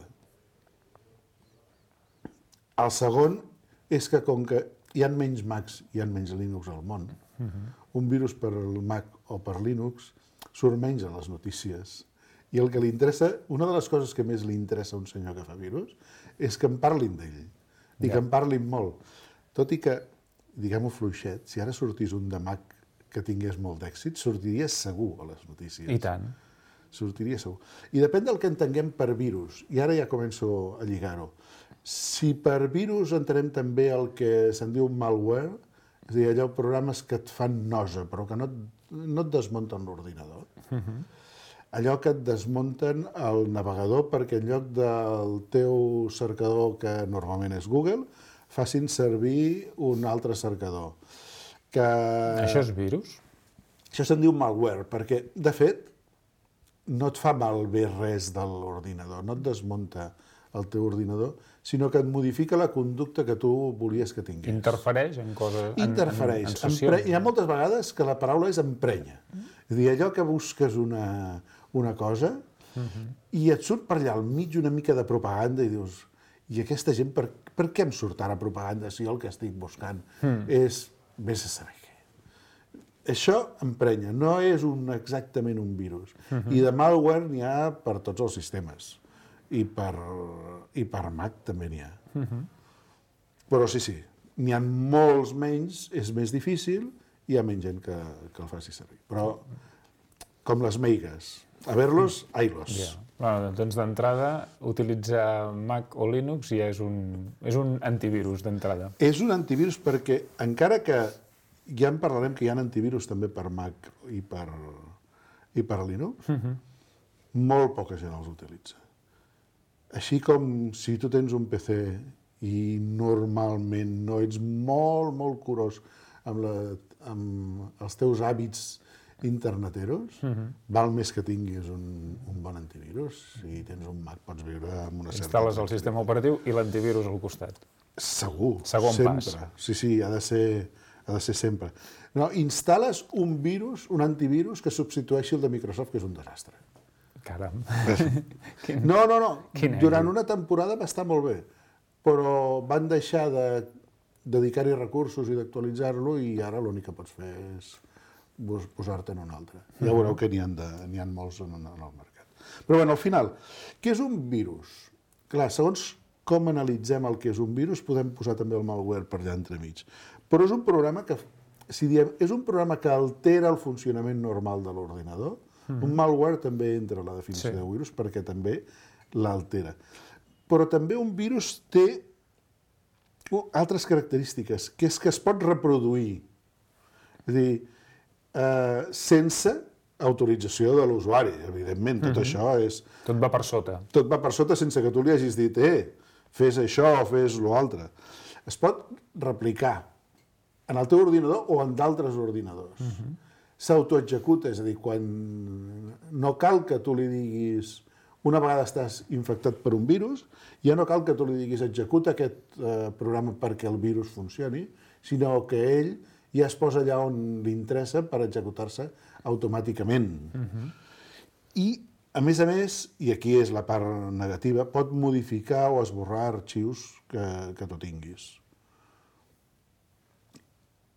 El segon és que com que hi ha menys Macs i hi ha menys Linux al món, un virus per Mac o per Linux surt menys a les notícies. I el que li interessa, una de les coses que més li interessa a un senyor que fa virus, és que en parlin d'ell, i que en parlin molt. Tot i que, diguem-ho fluixet, si ara sortís un de Mac que tingués molt d'èxit, sortiria segur a les notícies. I tant. Sortiria segur. I depèn del que entenguem per virus, i ara ja començo a lligar-ho. Si per virus entenem també el que se'n diu malware, és a dir, allò programes que et fan nosa, però que no et desmunten l'ordinador. Allò que et desmunten el navegador perquè en lloc del teu cercador, que normalment és Google, facin servir un altre cercador. Això és virus? Això se'n diu malware, perquè, de fet, no et fa malbé res de l'ordinador, no et desmunta el teu ordinador, sinó que et modifica la conducta que tu volies que tingués. Interfereix en coses... Interfereix. Hi ha moltes vegades que la paraula és emprenya. És a dir, allò que busques una cosa i et surt per allà al mig una mica de propaganda i dius, i aquesta gent, per què em surt ara propaganda si el que estic buscant és vés a saber què? Això emprenya, no és exactament un virus. I de malware n'hi ha per tots els sistemes. I per Mac també n'hi ha. Però sí, n'hi ha molts menys, és més difícil, i hi ha menys gent que el faci servir. Però, com les meigues, a ver-los, ai-los. Doncs d'entrada, utilitzar Mac o Linux ja és un antivirus d'entrada. És un antivirus perquè, encara que ja en parlarem que hi ha antivirus també per Mac i per Linux, molt poca gent els utilitza. Així com si tu tens un PC i normalment no ets molt, molt curós amb els teus hàbits interneteros, val més que tinguis un bon antivirus. Si tens un Mac pots viure amb una certa... Instal·les el sistema operatiu i l'antivirus al costat. Segur, Segon sempre. pas. Sí, ha de ser sempre. No, instal·les un virus, un antivirus que substitueixi el de Microsoft, que és un desastre. Caram. No. Durant una temporada va estar molt bé, però van deixar dedicar-hi recursos i d'actualitzar-lo, i ara l'únic que pots fer és posar-te en un altre. Ja veureu que n'hi ha molts en el mercat. Però bé, al final, què és un virus? Clar, segons com analitzem el que és un virus, podem posar també el malware per allà entremig. Però és un programa que, si diem, és un programa que altera el funcionament normal de l'ordinador. Un malware també entra a la definició de virus perquè també l'altera. Però també un virus té altres característiques, que és que es pot reproduir. És a dir, sense autorització de l'usuari, evidentment. Tot això és... Tot va per sota. Tot va per sota sense que tu li hagis dit fes això o fes l'altre. Es pot replicar en el teu ordinador o en d'altres ordinadors. S'autoexecuta, és a dir, quan no cal que tu li diguis, una vegada estàs infectat per un virus, ja no cal que tu li diguis executa aquest programa perquè el virus funcioni, sinó que ell ja es posa allà on li interessa per executar-se automàticament. I, a més, i aquí és la part negativa, pot modificar o esborrar arxius que tu tinguis.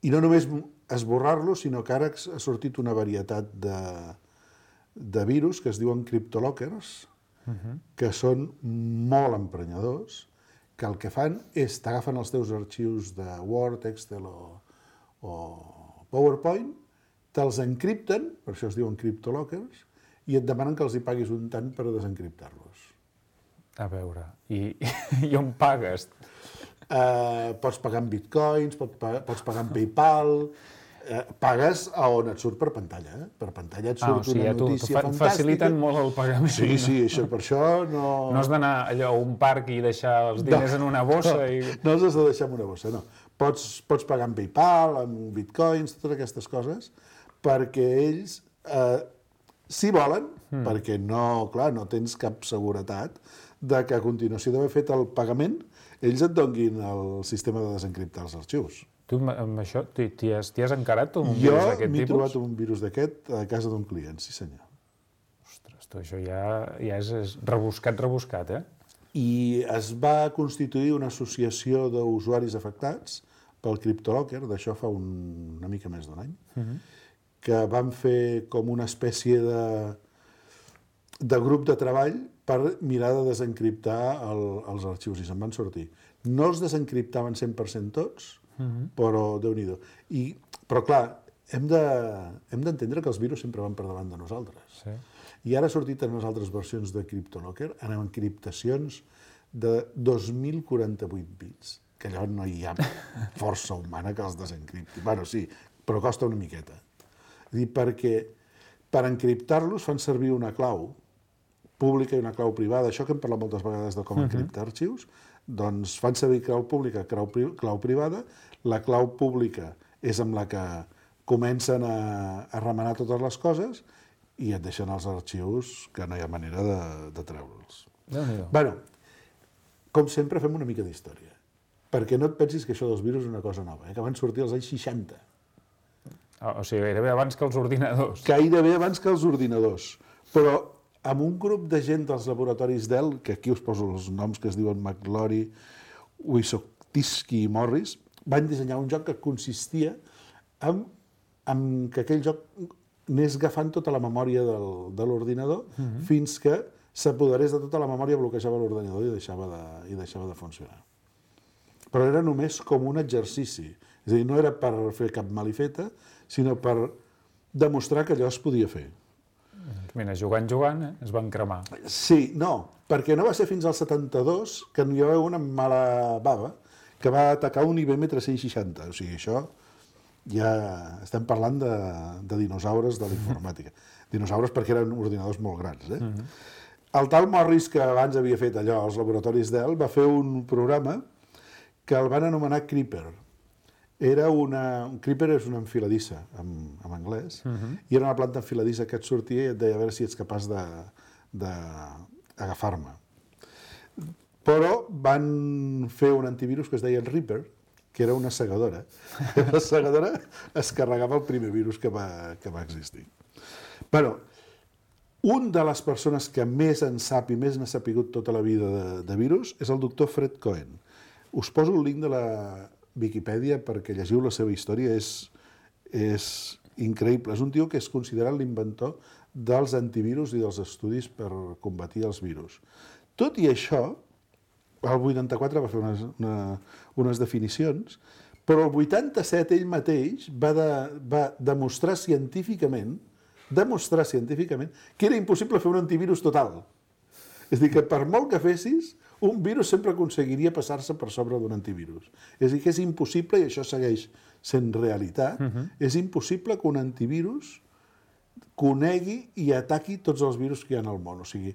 I no només esborrar-lo, sinó que ara ha sortit una varietat de virus que es diuen CryptoLockers, que són molt emprenyadors, que el que fan és t'agafen els teus arxius de Word, Excel o PowerPoint, te'ls encripten, per això es diuen CryptoLockers, i et demanen que els hi paguis un tant per desencriptar-los. A veure, i on pagues? Pots pagar en bitcoins, pots pagar en PayPal, pagues a on et surt per pantalla. Per pantalla et surt una notícia fantàstica. Faciliten molt el pagament. Sí, això, per això no... No has d'anar allò a un parc i deixar els diners en una bossa i... No els has de deixar en una bossa, no. Pots pagar en PayPal, en bitcoins, totes aquestes coses, perquè ells, si volen, perquè no, clar, no tens cap seguretat de que a continuació d'haver fet el pagament ells et donguin el sistema de desencriptar els arxius. Tu amb això t'hi has encarat un virus d'aquest tipus? Jo m'he trobat un virus d'aquest a casa d'un client, sí senyor. Ostres, això ja és rebuscat, I es va constituir una associació d'usuaris afectats pel CryptoLocker, d'això fa una mica més d'un any, que van fer com una espècie de grup de treball per mirar de desencriptar els arxius, i se'n van sortir. No els desencriptaven 100% tots, però Déu-n'hi-do. Però clar, hem d'entendre que els virus sempre van per davant de nosaltres. I ara ha sortit en les altres versions de CryptoLocker, en encriptacions de 2048 bits, que allò no hi ha força humana que els desencripti. Bueno, sí, però costa una miqueta. Perquè per encriptar-los fan servir una clau pública i una clau privada. Això que hem parlat moltes vegades de com encriptar arxius, doncs fan servir clau pública, clau privada. La clau pública és amb la que comencen a remenar totes les coses i et deixen els arxius que no hi ha manera de treure'ls. Bé, com sempre fem una mica d'història, perquè no et pensis que això dels virus és una cosa nova, que van sortir als anys 60. O sigui, gairebé abans que els ordinadors. Gairebé abans que els ordinadors. Però amb un grup de gent dels laboratoris Dell, que aquí us poso els noms que es diuen McLaury, Wysocki i Morris, van dissenyar un joc que consistia en que aquell joc anés agafant tota la memòria de l'ordinador fins que s'apoderés de tota la memòria, bloquejava l'ordinador i deixava de funcionar. Però era només com un exercici. És a dir, no era per fer cap malifeta, sinó per demostrar que allò es podia fer. Mira, jugant, es van cremar. Sí, no, perquè no va ser fins al 72 que hi va haver una mala bava que va atacar un IBM 360. O sigui, això ja estem parlant de dinosaures de la informàtica. Dinosaures perquè eren ordinadors molt grans. El tal Morris, que abans havia fet allò als laboratoris Dell, va fer un programa que el van anomenar Creeper. Creeper és una enfiladissa, en anglès, i era una planta enfiladissa que et sortia i et deia a veure si ets capaç d'agafar-me. Però van fer un antivirus que es deia el Reaper, que era una segadora. La segadora es carregava el primer virus que va existir. Però un de les persones que més en sap i més n'ha sapigut tota la vida de virus és el doctor Fred Cohen. Us poso el link de Viquipèdia perquè llegiu la seva història, és increïble. És un tio que és considerat l'inventor dels antivirus i dels estudis per combatir els virus. Tot i això, el 84 va fer unes definicions, però el 87 ell mateix va demostrar científicament que era impossible fer un antivirus total. És a dir, que per molt que fessis, un virus sempre aconseguiria passar-se per sobre d'un antivirus. És a dir, que és impossible, i això segueix sent realitat, és impossible que un antivirus conegui i ataqui tots els virus que hi ha al món. O sigui,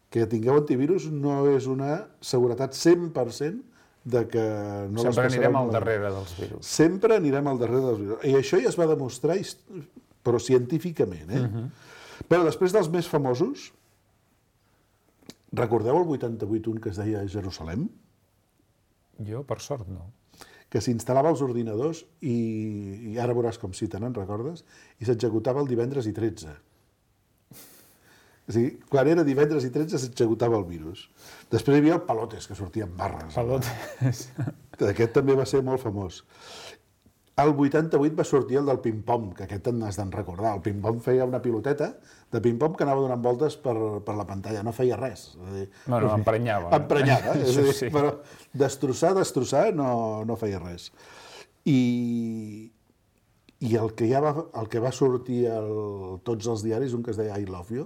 que tingueu antivirus no és una seguretat 100% de que no les passareu. Sempre anirem al darrere dels virus. Sempre anirem al darrere dels virus. I això ja es va demostrar, però científicament. Però després dels més famosos, recordeu el 88 un que es deia Jerusalem? Jo, per sort, no. Que s'instal·lava als ordinadors i ara veuràs com si te n'en recordes, i s'executava el divendres i 13. O sigui, quan era divendres i 13 s'executava el virus. Després hi havia el Palotes, que sortia amb barres. Palotes. Aquest també va ser molt famós. El 88 va sortir el del ping-pong, que aquest n'has d'en recordar. El ping-pong feia una piloteta de ping-pong que anava donant voltes per la pantalla, no feia res. Bueno, emprenyava. Emprenyava, és a dir, però destrossar no feia res. I el que va sortir tots els diaris, un que es deia I Love You,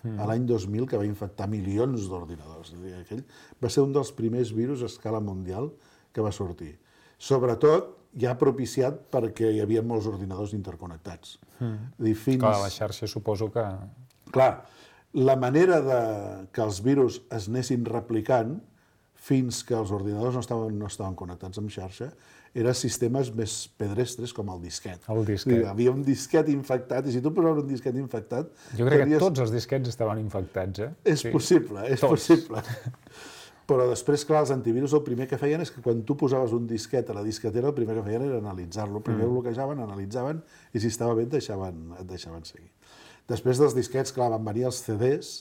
a l'any 2000, que va infectar milions d'ordinadors. Aquell va ser un dels primers virus a escala mundial que va sortir. Sobretot, ja propiciat perquè hi havia molts ordinadors interconnectats. Clar, la xarxa suposo que... Clar, la manera que els virus es anessin replicant fins que els ordinadors no estaven connectats amb xarxa eren sistemes més pedestres com el disquet. El disquet. Hi havia un disquet infectat, i si tu posaves un disquet infectat... Jo crec que tots els disquets estaven infectats, És possible, és possible. Però després, clar, els antivirus el primer que feien és que quan tu posaves un disquet a la disquetera, el primer que feien era analitzar-lo. Primer bloquejaven, analitzaven, i si estava bé et deixaven seguir. Després dels disquets, clar, van venir els CDs,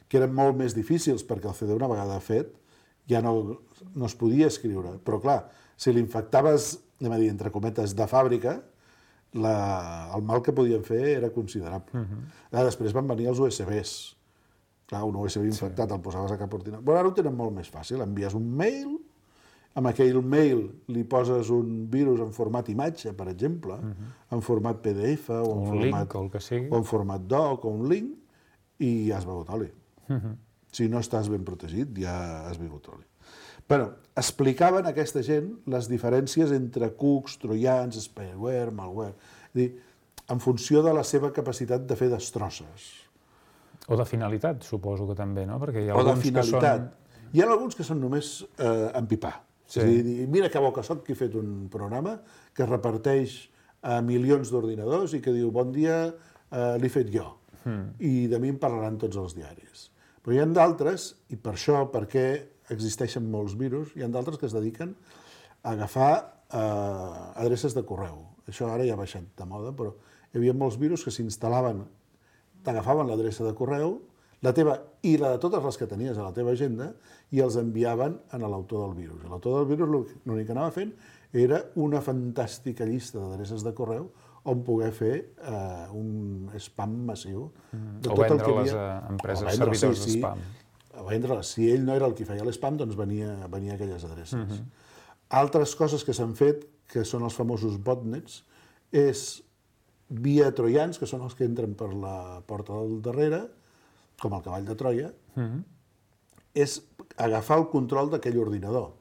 que eren molt més difícils, perquè el CD, una vegada fet, ja no es podia escriure. Però, clar, si l'infectaves, anem a dir, entre cometes, de fàbrica, el mal que podien fer era considerable. Després van venir els USBs. Clar, un USB infectat el posaves a cap ordinador. Però ara ho tenen molt més fàcil. Envies un mail, amb aquell mail li poses un virus en format imatge, per exemple, en format PDF, o en format doc, o un link, i ja has begut oli. Si no estàs ben protegit, ja has begut oli. Però explicaven a aquesta gent les diferències entre cucs, troians, spyware, malware, és a dir, en funció de la seva capacitat de fer destrosses. O de finalitat, suposo que també, no? Perquè hi ha alguns que són... Hi ha alguns que són només empipar. És a dir, mira que bo que soc, que he fet un programa que reparteix a milions d'ordinadors i que diu, bon dia, l'he fet jo. I de mi en parlaran tots els diaris. Però hi ha d'altres, i per això, perquè existeixen molts virus, hi ha d'altres que es dediquen a agafar adreces de correu. Això ara ja ha baixat de moda, però hi havia molts virus que s'instal·laven, t'agafaven l'adreça de correu, la teva i la de totes les que tenies a la teva agenda, i els enviaven a l'autor del virus. L'autor del virus l'únic que anava fent era una fantàstica llista d'adreces de correu on poder fer un spam massiu. O vendre les empreses servidors de spam. O vendre-les. Si ell no era el qui feia l'spam, doncs venia aquelles adreces. Altres coses que s'han fet, que són els famosos botnets, és via troians, que són els que entren per la porta del darrere, com el cavall de Troia, és agafar el control d'aquell ordinador.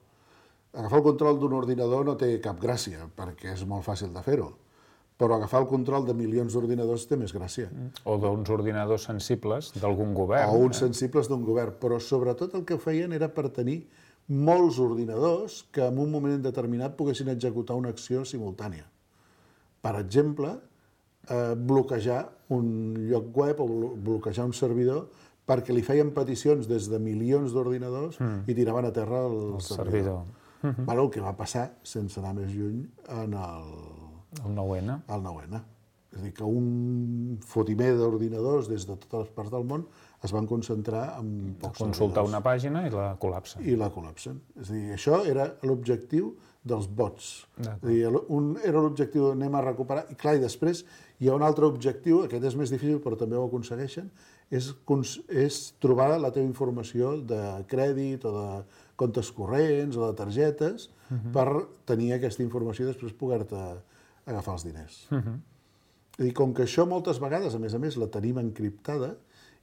Agafar el control d'un ordinador no té cap gràcia, perquè és molt fàcil de fer-ho, però agafar el control de milions d'ordinadors té més gràcia. O d'uns ordinadors sensibles d'algun govern. O uns sensibles d'un govern, però sobretot el que feien era per tenir molts ordinadors que en un moment determinat poguessin executar una acció simultània. Per exemple, bloquejar un lloc web o bloquejar un servidor perquè li feien peticions des de milions d'ordinadors i tiraven a terra el servidor. El que va passar, sense anar més lluny, en el 9N. El 9N. És a dir, que un fotimer d'ordinadors des de totes les parts del món es van concentrar en pocs Consultar una pàgina i la col·lapsen. I la col·lapsen. És a dir, això era l'objectiu dels bots. És a dir, era l'objectiu d'anem a recuperar, i clar, i després hi ha un altre objectiu, aquest és més difícil però també ho aconsegueixen, és trobar la teva informació de crèdit o de comptes corrents o de targetes per tenir aquesta informació i després poder-te agafar els diners. És a dir, com que això moltes vegades, a més, la tenim encriptada,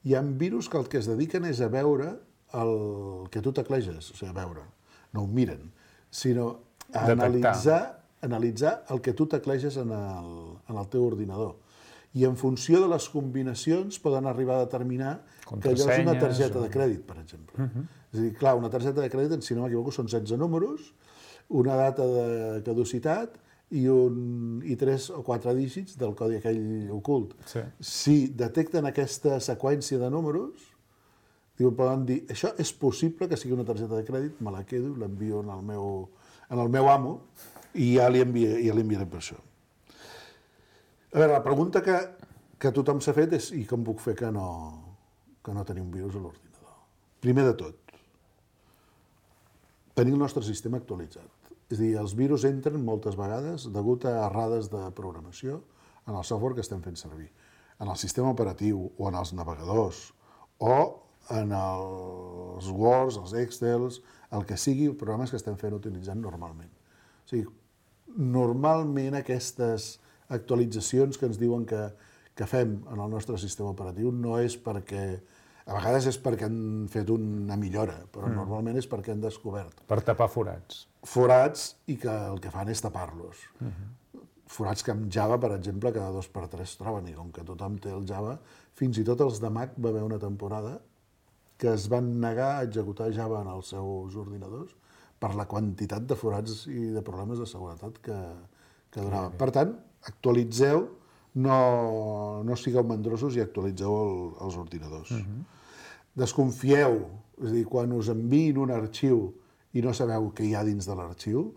hi ha virus que el que es dediquen és a veure el que tu tecleges, o sigui, a veure, no ho miren, sinó a analitzar el que tu tecleges en el teu ordinador. I en funció de les combinacions poden arribar a determinar que allò és una targeta de crèdit, per exemple. És a dir, clar, una targeta de crèdit, si no m'equivoco, són 16 números, una data de caducitat i 3 o 4 dígits del codi aquell ocult. Si detecten aquesta seqüència de números, poden dir, això és possible que sigui una targeta de crèdit, me la quedo i l'envio en el meu amo i ja li enviaré per això. A veure, la pregunta que tothom s'ha fet és i com puc fer que no tenim virus a l'ordinador? Primer de tot, tenir el nostre sistema actualitzat. És a dir, els virus entren moltes vegades degut a errades de programació en el software que estem fent servir, en el sistema operatiu o en els navegadors o en els Words, els Excels, el que sigui, programes que estem utilitzant normalment. O sigui, normalment aquestes actualitzacions que ens diuen que fem en el nostre sistema operatiu no és perquè... A vegades és perquè han fet una millora, però normalment és perquè han descobert. Per tapar forats. Forats i que el que fan és tapar-los. Forats que amb Java, per exemple, cada 2x3 es troben, i com que tothom té el Java, fins i tot els de Mac va haver una temporada que es van negar a executar Java en els seus ordinadors per la quantitat de forats i de problemes de seguretat que donaven. Per tant, actualitzeu, no sigueu mandrosos i actualitzeu els ordinadors. Desconfieu, és a dir, quan us enviïn un arxiu i no sabeu què hi ha dins de l'arxiu,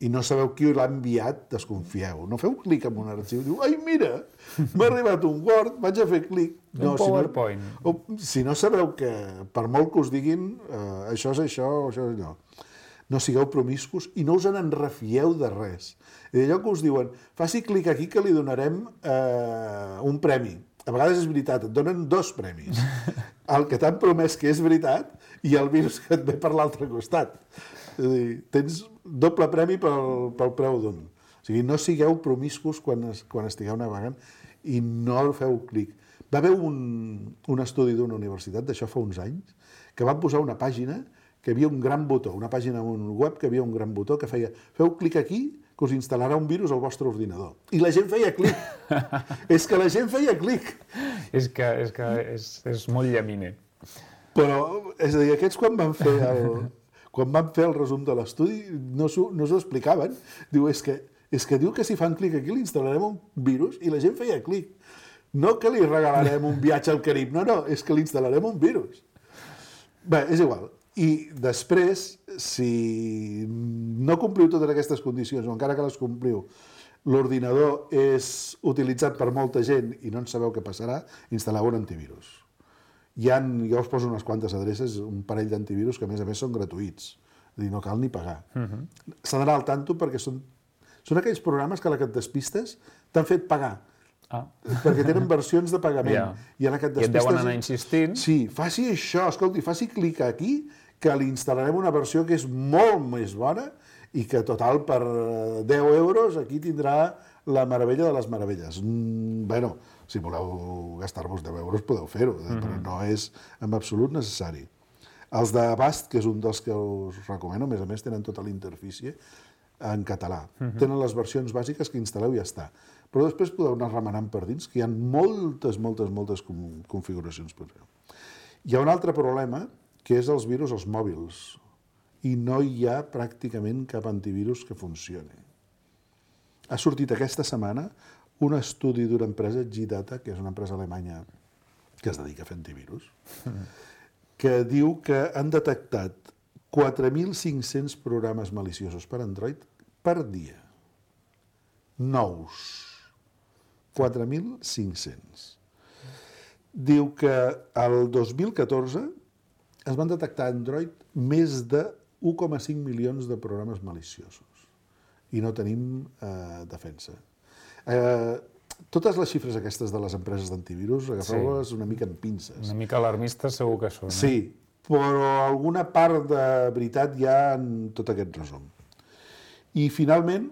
i no sabeu qui l'ha enviat, desconfieu. No feu clic en un arxiu i diu, ai, mira, m'ha arribat un Word, vaig a fer clic. Un PowerPoint. Si no sabeu que, per molt que us diguin, això és això, això és allò, no sigueu promiscus i no us en refieu de res. I d'allò que us diuen, faci clic aquí que li donarem un premi. A vegades és veritat, et donen 2 premis. El que t'han promès que és veritat i el virus que et ve per l'altre costat. És a dir, tens doble premi pel preu d'un. O sigui, no sigueu promiscus quan estigueu navegant i no feu clic. Va haver un estudi d'una universitat, d'això fa uns anys, que van posar una pàgina que hi havia un gran botó, una pàgina web que hi havia un gran botó que feia feu clic aquí que us instal·larà un virus al vostre ordinador. I la gent feia clic. És que la gent feia clic. És que és molt llaminer. Però, és a dir, aquests quan van fer el resum de l'estudi no s'ho explicaven. Diu, és que diu que si fan clic aquí li instal·larem un virus i la gent feia clic. No que li regalarem un viatge al Carib, no, és que li instal·larem un virus. Bé, és igual. I després, si no compliu totes aquestes condicions, o encara que les compliu, l'ordinador és utilitzat per molta gent i no en sabeu què passarà, instal·leu un antivirus. Jo us poso unes quantes adreces, un parell d'antivirus que a més són gratuïts. És a dir, no cal ni pagar. S'ha d'anar al tanto perquè són aquells programes que a la que et despistes t'han fet pagar. Perquè tenen versions de pagament. I et deuen anar insistint. Sí, faci això, escolti, faci clic aquí que li instal·larem una versió que és molt més bona i que, total, per 10 euros aquí tindrà la meravella de les meravelles. Bueno, si voleu gastar-vos 10 euros podeu fer-ho, però no és en absolut necessari. Els d'Avast, que és un dels que us recomano, a més tenen tota la interfície en català. Tenen les versions bàsiques que instal·leu i ja està. Però després podeu anar remenant per dins, que hi ha moltes configuracions per fer. Hi ha un altre problema, que és els virus als mòbils. I no hi ha pràcticament cap antivirus que funcioni. Ha sortit aquesta setmana un estudi d'una empresa, G-Data, que és una empresa alemanya que es dedica a fer antivirus, que diu que han detectat 4.500 programes maliciosos per Android per dia. Nous. 4.500. Diu que el 2014 es van detectar a Android més de 1,5 milions de programes maliciosos i no tenim defensa. Totes les xifres aquestes de les empreses d'antivirus, agafeu-les una mica en pinces. Una mica alarmistes segur que són. Sí, però alguna part de veritat hi ha en tot aquest resum. I finalment,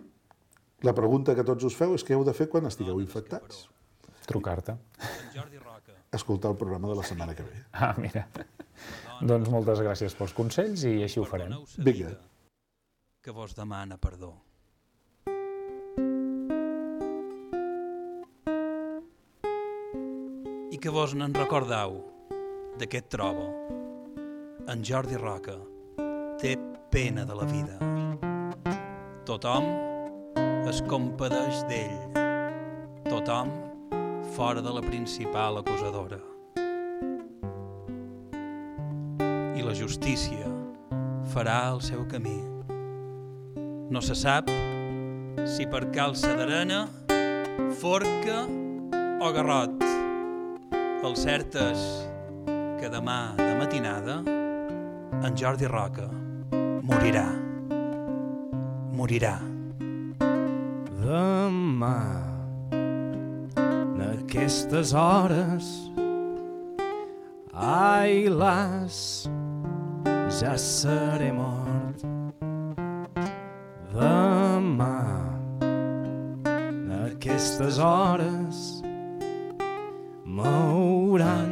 la pregunta que tots us feu és què heu de fer quan estigueu infectats? Trucar-te. Escoltar el programa de la setmana que ve. Ah, mira. Doncs moltes gràcies pels consells i així ho farem. Vinga. Que vos demana perdó. I que vos n'en recordeu d'aquest trobo. En Jordi Roca té pena de la vida. Tothom es compadeix d'ell. Tothom fora de la principal acusadora. I la justícia farà el seu camí. No se sap si per calça d'arena, forca o garrot. El cert és que demà de matinada en Jordi Roca morirà. Morirà. Demà, en aquestes hores, ai las, ja seré mort. Demà, en aquestes hores, m'hauran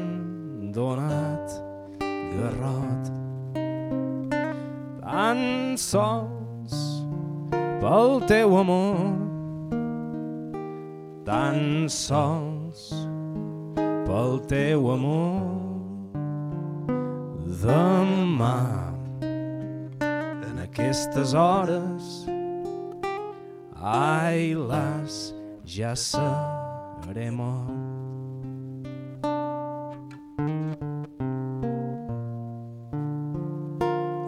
donat garrot. Tan sols pel teu amor, tan sols pel teu amor. Demà, en aquestes hores, ai las, ja seré mort.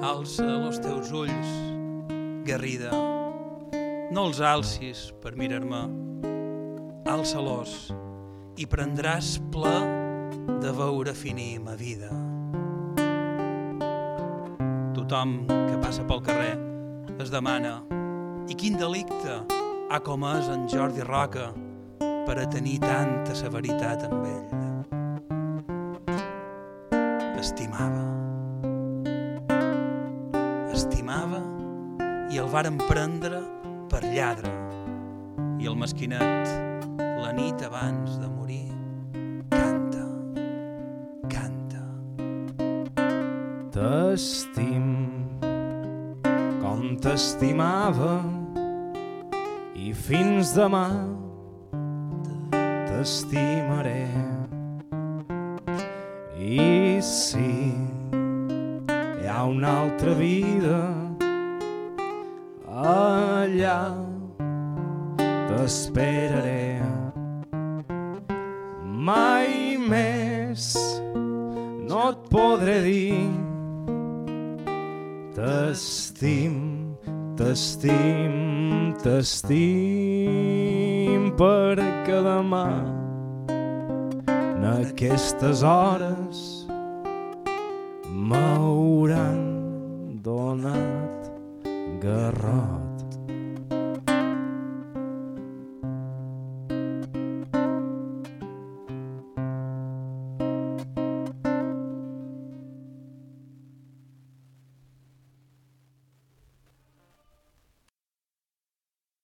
Alça els teus ulls, Garrida, no els alcis per mirar-me, alça-los i prendràs pla de veure finir ma vida. Tothom que passa pel carrer es demana i quin delicte ha comès en Jordi Roca per a tenir tanta severitat amb ell. Estimava i el varen prendre per lladre i el mesquinet la nit abans de morir canta. T'estim com t'estimava i fins demà t'estimaré. I si hi ha una altra vida, allà t'esperaré. Mai més no et podré dir t'estim, t'estim, t'estim, perquè demà en aquestes hores m'hauran donat garrot.